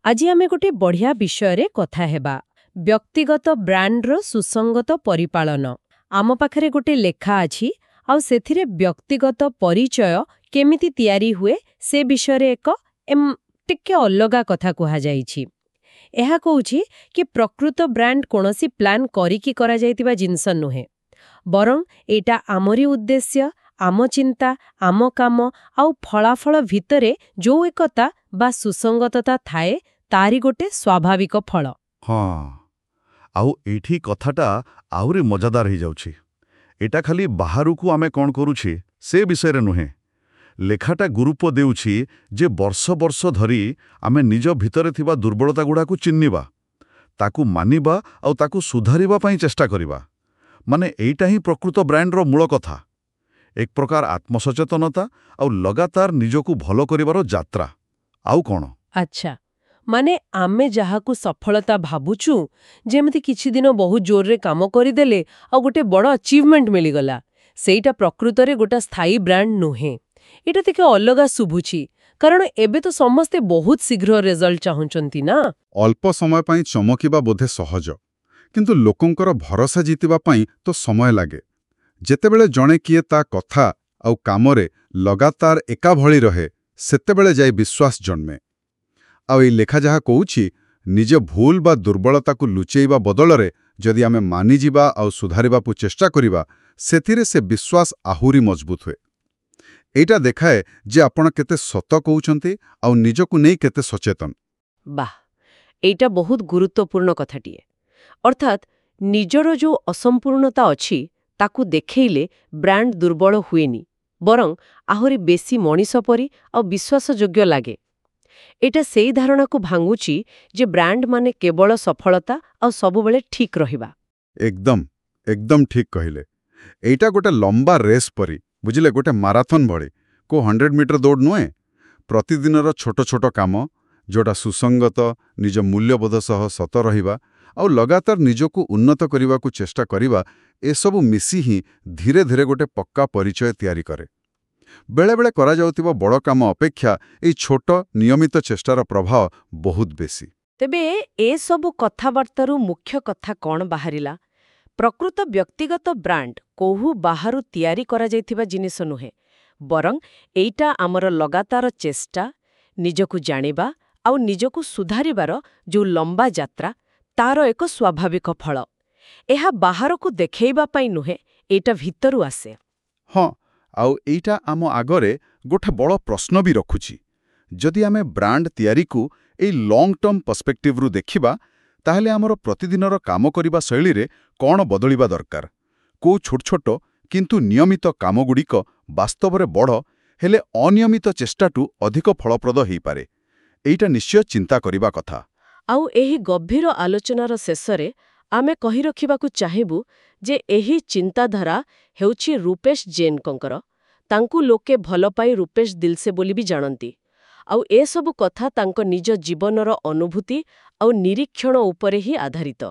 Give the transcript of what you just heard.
ଆଜି ଆମେ ଗୋଟେ ବଢ଼ିଆ ବିଷୟରେ କଥା ହେବା, ବ୍ୟକ୍ତିଗତ ବ୍ରାଣ୍ଡର ସୁସଙ୍ଗତ ପରିପାଳନ। ଆମ ପାଖରେ ଗୋଟେ ଲେଖା ଅଛି ଆଉ ସେଥିରେ ବ୍ୟକ୍ତିଗତ ପରିଚୟ କେମିତି ତିଆରି ହୁଏ ସେ ବିଷୟରେ ଏକ ଟିକେ ଅଲଗା କଥା କୁହାଯାଇଛି। ଏହା କହୁଛି କି ପ୍ରକୃତ ବ୍ରାଣ୍ଡ କୌଣସି ପ୍ଲାନ୍ କରିକି କରାଯାଇଥିବା ଜିନିଷ ନୁହେଁ, ବରଂ ଏଇଟା ଆମରି ଉଦ୍ଦେଶ୍ୟ, ଆମ ଚିନ୍ତା, ଆମ କାମ ଆଉ ଫଳାଫଳ ଭିତରେ ଯୋଉ ଏକତା ବା ସୁସଙ୍ଗତତା ଥାଏ, ତାରି ଗୋଟେ ସ୍ୱାଭାବିକ ଫଳ। ହଁ, ଆଉ ଏଇଠି କଥାଟା ଆହୁରି ମଜାଦାର ହେଇଯାଉଛି। ଏଇଟା ଖାଲି ବାହାରକୁ ଆମେ କ'ଣ କରୁଛେ ସେ ବିଷୟରେ ନୁହେଁ। ଲେଖାଟା ଗୁରୁତ୍ୱ ଦେଉଛି ଯେ ବର୍ଷ ବର୍ଷ ଧରି ଆମେ ନିଜ ଭିତରେ ଥିବା ଦୁର୍ବଳତା ଗୁଡ଼ାକୁ ଚିହ୍ନିବା, ତାକୁ ମାନିବା ଆଉ ତାକୁ ସୁଧାରିବା ପାଇଁ ଚେଷ୍ଟା କରିବା। ମାନେ ଏଇଟା ହିଁ ପ୍ରକୃତ ବ୍ରାଣ୍ଡର ମୂଳ କଥା, ଏକ ପ୍ରକାର ଆତ୍ମସଚେତନତା ଆଉ ଲଗାତାର ନିଜକୁ ଭଲ କରିବାର ଯାତ୍ରା, ଆଉ କ'ଣ? ଆଚ୍ଛା, ମାନେ ଆମେ ଯାହାକୁ ସଫଳତା ଭାବୁଛୁ, ଯେମିତି କିଛି ଦିନ ବହୁତ ଜୋରରେ କାମ କରିଦେଲେ ଆଉ ଗୋଟେ ବଡ଼ ଆଚିଭମେଣ୍ଟ ମିଳିଗଲା, ସେଇଟା ପ୍ରକୃତରେ ଗୋଟେ ସ୍ଥାୟୀ ବ୍ରାଣ୍ଡ ନୁହେଁ। ଏଇଟା ଟିକେ ଅଲଗା ଶୁଭୁଛି, କାରଣ ଏବେ ତ ସମସ୍ତେ ବହୁତ ଶୀଘ୍ର ରେଜଲ୍ଟ ଚାହୁଁଛନ୍ତି ନା। ଅଳ୍ପ ସମୟ ପାଇଁ ଚମକିବା ବୋଧେ ସହଜ, କିନ୍ତୁ ଲୋକଙ୍କର ଭରସା ଜିତିବା ପାଇଁ ତ ସମୟ ଲାଗେ। ଯେତେବେଳେ ଜଣେ କିଏ ତା କଥା ଆଉ କାମରେ ଲଗାତାର ଏକା ଭଳି ରହେ, ସେତେବେଳେ ଯାଇ ବିଶ୍ୱାସ ଜନ୍ମେ। ଆଉ ଏଇ ଲେଖା ଯାହା କହୁଛି, ନିଜ ଭୁଲ ବା ଦୁର୍ବଳତାକୁ ଲୁଚେଇବା ବଦଳରେ ଯଦି ଆମେ ମାନିଯିବା ଆଉ ସୁଧାରିବାକୁ ଚେଷ୍ଟା କରିବା, ସେଥିରେ ସେ ବିଶ୍ୱାସ ଆହୁରି ମଜବୁତ ହୁଏ। ଏଇଟା ଦେଖାଏ ଯେ ଆପଣ କେତେ ସତ କହୁଛନ୍ତି ଆଉ ନିଜକୁ ନେଇ କେତେ ସଚେତନ। ବାଃ, ଏଇଟା ବହୁତ ଗୁରୁତ୍ୱପୂର୍ଣ୍ଣ କଥାଟିଏ। ଅର୍ଥାତ୍ ନିଜର ଯୋଉ ଅସମ୍ପୂର୍ଣ୍ଣତା ଅଛି ତାକୁ ଦେଖେଇଲେ ବ୍ରାଣ୍ଡ ଦୁର୍ବଳ ହୁଏନି, ବରଂ ଆହୁରି ବେଶୀ ମଣିଷ ପରି ଆଉ ବିଶ୍ୱାସଯୋଗ୍ୟ ଲାଗେ। ଏଇଟା ସେଇ ଧାରଣାକୁ ଭାଙ୍ଗୁଛି ଯେ ବ୍ରାଣ୍ଡ ମାନେ କେବଳ ସଫଳତା ଆଉ ସବୁବେଳେ ଠିକ୍ ରହିବା। ଏକଦମ ଏକଦମ ଠିକ୍ କହିଲେ। ଏଇଟା ଗୋଟେ ଲମ୍ବା ରେସ୍ ପରି, ବୁଝିଲେ, ଗୋଟେ ମାରାଥନ୍ ଭଳି, କୋଉ 100 ମିଟର ଦୌଡ଼ ନୁହେଁ। ପ୍ରତିଦିନର ଛୋଟ ଛୋଟ କାମ ଯୋଉଟା ସୁସଙ୍ଗତ, ନିଜ ମୂଲ୍ୟବୋଧ ସହ ସତ ରହିବା ଆଉ ଲଗାତାର ନିଜକୁ ଉନ୍ନତ କରିବାକୁ ଚେଷ୍ଟା କରିବା, ଏସବୁ ମିଶି ହିଁ ଧୀରେ ଧୀରେ ଗୋଟେ ପକ୍କା ପରିଚୟ ତିଆରି କରେ। ବେଳେବେଳେ କରାଯାଉଥିବା ବଡ଼ କାମ ଅପେକ୍ଷା ଏଇ ଛୋଟ ନିୟମିତ ଚେଷ୍ଟାର ପ୍ରଭାବ ବହୁତ ବେଶୀ। ତେବେ ଏସବୁ କଥାବାର୍ତ୍ତାରୁ ମୁଖ୍ୟ କଥା କ'ଣ ବାହାରିଲା? ପ୍ରକୃତ ବ୍ୟକ୍ତିଗତ ବ୍ରାଣ୍ଡ କୋଉ ବାହାରୁ ତିଆରି କରାଯାଇଥିବା ଜିନିଷ ନୁହେଁ, ବରଂ ଏଇଟା ଆମର ଲଗାତାର ଚେଷ୍ଟା, ନିଜକୁ ଜାଣିବା ଆଉ ନିଜକୁ ସୁଧାରିବାର ଯୋଉ ଲମ୍ବା ଯାତ୍ରା, ତାର ଏକ ସ୍ୱାଭାବିକ ଫଳ। ଏହା ବାହାରକୁ ଦେଖେଇବା ପାଇଁ ନୁହେଁ, ଏଇଟା ଭିତରୁ ଆସେ। ହଁ, ଆଉ ଏଇଟା ଆମ ଆଗରେ ଗୋଟେ ବଡ଼ ପ୍ରଶ୍ନ ବି ରଖୁଛି। ଯଦି ଆମେ ବ୍ରାଣ୍ଡ ତିଆରିକୁ ଏଇ ଲଙ୍ଗ ଟର୍ମ ପର୍ସପେକ୍ଟିଭରୁ ଦେଖିବା, ତାହେଲେ ଆମର ପ୍ରତିଦିନର କାମ କରିବା ଶୈଳୀରେ କ'ଣ ବଦଳିବା ଦରକାର? କୋଉ ଛୋଟ ଛୋଟ କିନ୍ତୁ ନିୟମିତ କାମଗୁଡ଼ିକ ବାସ୍ତବରେ ବଡ଼ ହେଲେ ଅନିୟମିତ ଚେଷ୍ଟାଠୁ ଅଧିକ ଫଳପ୍ରଦ ହେଇପାରେ? ଏଇଟା ନିଶ୍ଚୟ ଚିନ୍ତା କରିବା କଥା। ଆଉ ଏହି ଗଭୀର ଆଲୋଚନାର ଶେଷରେ ଆମେ କହି ରଖିବାକୁ ଚାହିଁବୁ ଯେ ଏହି ଚିନ୍ତାଧାରା ହେଉଛି ରୂପେଶ ଜୈନଙ୍କର। ତାଙ୍କୁ ଲୋକେ ଭଲ ପାଇ ରୂପେଶ ଦିଲସେ ବୋଲି ବି ଜାଣନ୍ତି। ଆଉ ଏସବୁ କଥା ତାଙ୍କ ନିଜ ଜୀବନର ଅନୁଭୂତି ଆଉ ନିରୀକ୍ଷଣ ଉପରେ ହିଁ ଆଧାରିତ।